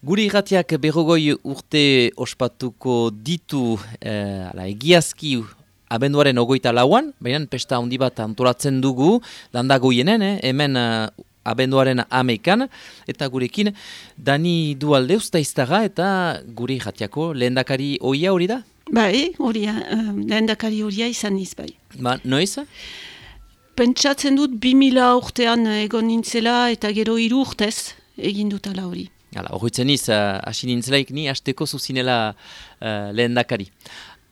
Gure irratiak berrogoi urte ospatuko ditu egiazki abenduaren 24an, baina pesta handi bat antolatzen dugu, landagoienen, hemen abenduaren 11an, eta gurekin Dani Dualde ustaiztaga eta gure irratiako lehendakari ohia hori da? Bai, horia, lehendakari horia izan niz bai. Ba, noiz? Pentsatzen dut 2000 urtean egon nintzela eta gero 3 urtez egin dutala hori. Horretzen niz, hasi nintzelaik ni hasteko zuzinela lehendakari.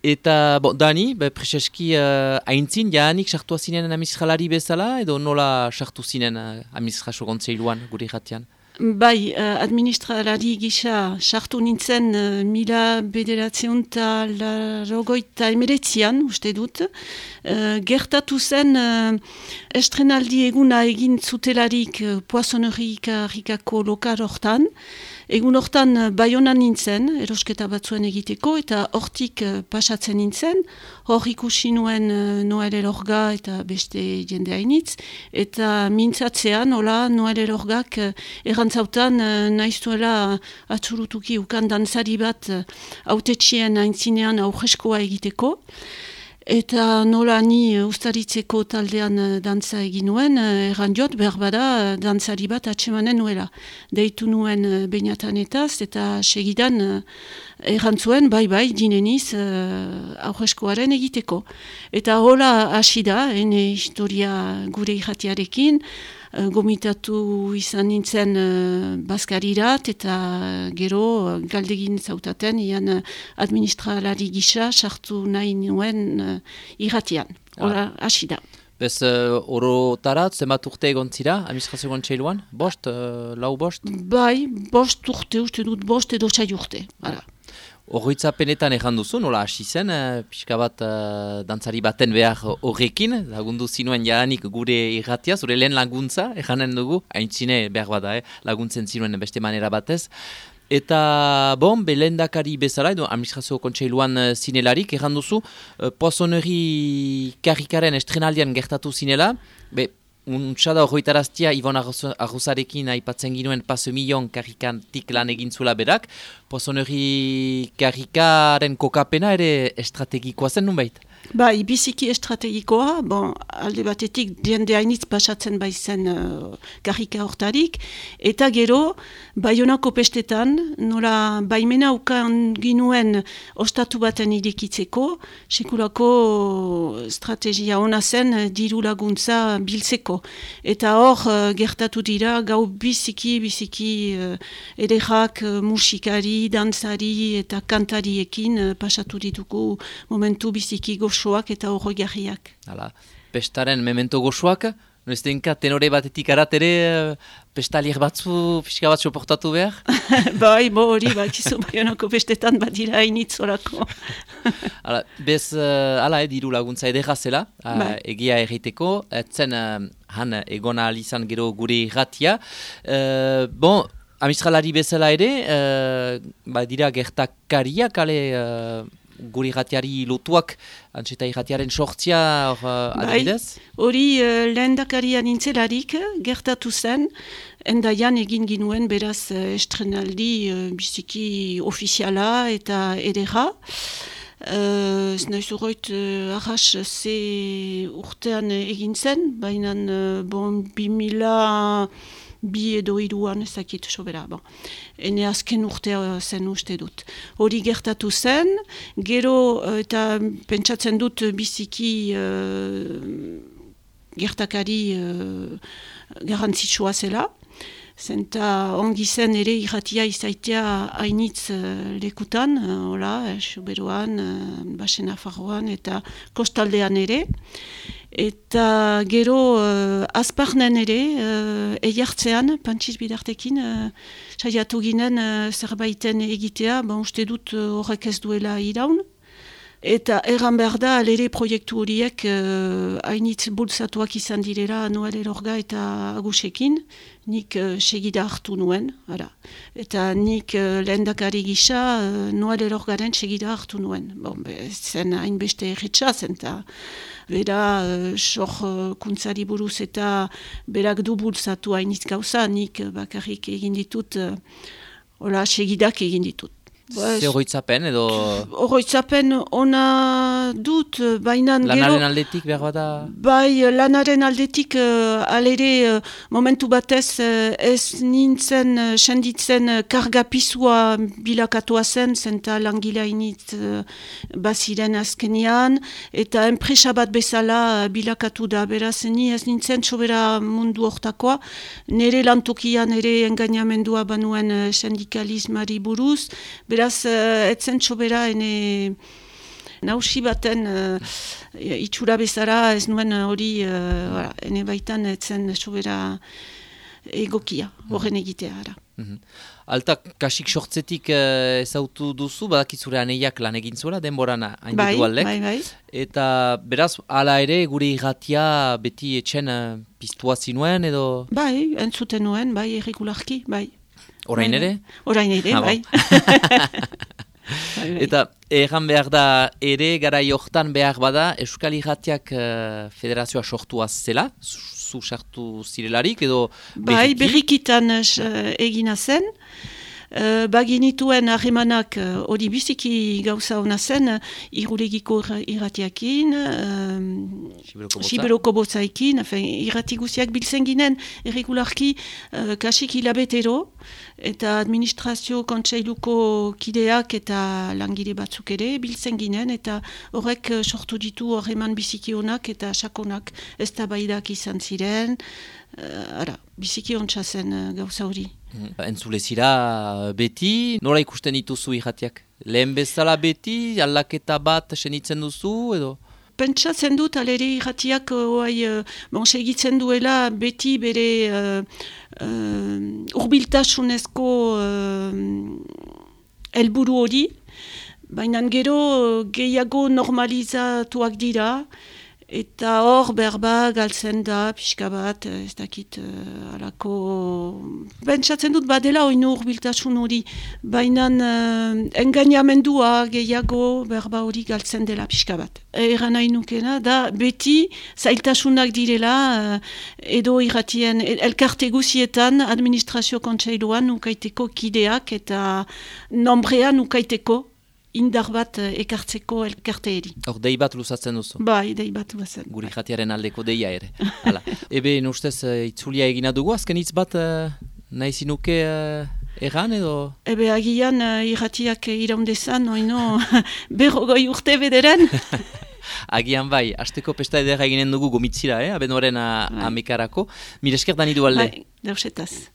Eta, Dani, preseski haintzin, jaanik sartua zinen administralari bezala, edo nola sartu zinen administrazio kontseiluan gure irratian? Bai, administralari gisa sartu nintzen 1989an, uste dut. Gertatu zen estrenaldi eguna egin zutelarik Poissonnerie-Karikako lokal hortan. Egun hortan Baionan nintzen, erosketa batzuen egiteko, eta hortik pasatzen nintzen. Hor ikusi nuen Noel Elorga eta beste jende hainitz. Eta mintzatzean, hola, Noel Elorgak errantzautan naiztuela atzurutuki ukan dantzari bat hautetxien aintzinean aurreskoa egiteko. Eta nola ni ustaritzeko taldean dantza egin nuen, erran jot, behar bada dantzari bat atsemanen nuela. Deitu nuen beinatanetaz eta segidan errantzuen, bai, dineniz aurreskoaren egiteko. Eta hola hasi da, ene historia gure irratiarekin, gomitatu izan nintzen Baskarirat eta gero galdegin zautaten ian administralari gisa sartu nahi nuen irratian. Hora hasi da. Bez orotarat, zenbat urte egon zira, administrazio kontseiluan? Bost, lau bost? Bai, bost urte, uste dut bost edo 6 urte. Horritzapenetan erran duzu, nola hasi zen, pixka bat dantzari baten behar horrekin, lagundu zinuen jaanik gure irratia, zure lehen laguntza, erranen dugu, haintzine behar bada, laguntzen zinuen beste manera batez. Eta, lehendakari bezala, edo administrazio kontseiluan zinelarik, erran duzu, Poissonnerie-Karikaren estrenaldian gertatu zinela, Untxada horretaraztia Ibon Arrozarekin aipatzen ginuen Passemillon karikantik lan egin zuela berak, Poissonnerie-Karikaren kokapena ere estrategikoa zen nunbait? Bai, biziki estrategikoa, alde batetik jende hainitz pasatzen baizen karika hortarik, eta gero, Baionako pestetan, nola baimena ukan ginuen ostatu baten irekitzeko, sekulako estrategia ona zen diru laguntza biltzeko. Eta hor, gertatu dira, gau biziki ederrak musikari, dantzari eta kantariekin pasatu ditugu momentu biziki goxoak eta horroigarriak. Pestaren memento goxoak, noiztenka tenore batetik aratere pestalier batzu, pixka bat soportatu behar? Bai, hori, kizu Baionako pestetan badira hainitz horako. Bez, diru laguntza edera zela, egia erreiteko, etzen han egona alizan gero gure irratia. Administralari bezala ere, dira gertakariak, gure irratiari lotuak, antxeta irratiaren sortzia adibidez? Hori lehendakaria nintzelarik gertatu zen, endaian egin ginuen beraz estrenaldi biziki ofiziala eta edera. Ez nahi zuroit arras ze urtean egin zen, baina 2000 bi edo 3an ezakit sobera. Ene azken urtea zen uste dut. Hori gertatu zen, gero eta pentsatzen dut biziki gertakari garrantzitsua zela. Zenta ongi zen ere irratia izaitea hainitz lekutan, Soberoan, Basen Nafarroan eta kostaldean ere. Eta gero azparnen ere, eiartzean, Pantxiz bidartekin, saiatu ginen zerbaiten egitea, uste dut horrek ez duela iraun. Eta erran behar da, alere proiektu horiek hainitz bultzatuak izan direla Noel Elorga eta Agusekin, nik segida hartu nuen, eta nik lehendakari gisa Noel Elorgaren segida hartu nuen. Zen hainbeste erretxazen, eta bera sorkuntzari buruz eta berak du bultzatu hainitz gauza, nik bakarrik egin ditut Hola, segidak egin ditut. Ze horretzapen edo... Horretzapen ona dut, baina gero... Lanaren aldetik behar bada... Bai, lanaren aldetik alere momentu batez ez nintzen senditzen kargapisua bilakatua zen langilea init baziren azkenean, eta enpresa bat bezala bilakatu da, beraz ni ez nintzen sobera mundu hortakoa, nire lantokian ere engainamendua banuen sindikalismari buruz, beraz etzen sobera ene... Nausi baten itxura bezala ez nuen hori ene baitan etzen sobera egokia, horren egitea ara. Alta, kasik sortzetik ezautu duzu, badakizure aneiak lan egin zuela, denboran hain ditu aldek. Bai. Eta beraz, hala ere, gure irratia beti etxen piztua zinuen edo... Bai, entzuten nuen, bai, erregularki, bai. Orain ere? Orain ere, bai. Eta erran behar da ere garai hortan behar bada Euskal Irratiak federazioa sortua zela, zu sartu zirelarik edo berriki? Bai, berrikitan egina zen. Baginituen harremanak hori biziki gauza hona zen, Irulegiko irratiakin, Siberoko botzaikin, irrati guziak biltzen ginen, erregularki kasik hilabetero, eta administrazio kontseiluko kideak eta langile batzuk ere biltzen ginen, eta horrek sortu ditu harreman biziki honak eta sakonak eztabaidak izan ziren, biziki ontsa zen gauza hori. Entzule zira beti, nola ikusten dituzu irratiak? Lehen bezala beti, aldaketa bat senitzen duzu edo? Pentsatzen dut, alere irratiak segitzen duela beti bere urbiltasunezko helburu hori, baina gero gehiago normalizatuak dira, eta hor berba galtzen da, pixka bat, ez dakit alako... Pentsatzen dut badela oinu urbiltasun hori, baina engainamendua gehiago berba hori galtzen dela pixka bat. Eran nahi nukena da beti zailtasunak direla edo irratien elkarte guzietan administrazio kontseiluan nukaiteko kideak eta nombrean nukaiteko indar bat ekartzeko elkarteeri. Hor, dei bat luzatzen duzu? Bai, dei bat luzatzen. Guri jatiaren aldeko deia ere. Hala. Ebe, ustez itzulia egina dugu, azken hitz bat nahi zinuke erran edo? Ebe, agian irratiak iraundezan, oino, berrogoi urte bederen. Agian bai, hasteko pesta edera eginen dugu gomitzira, abenduaren amekarako. Mire esker dani du alde. Bai, dausetaz.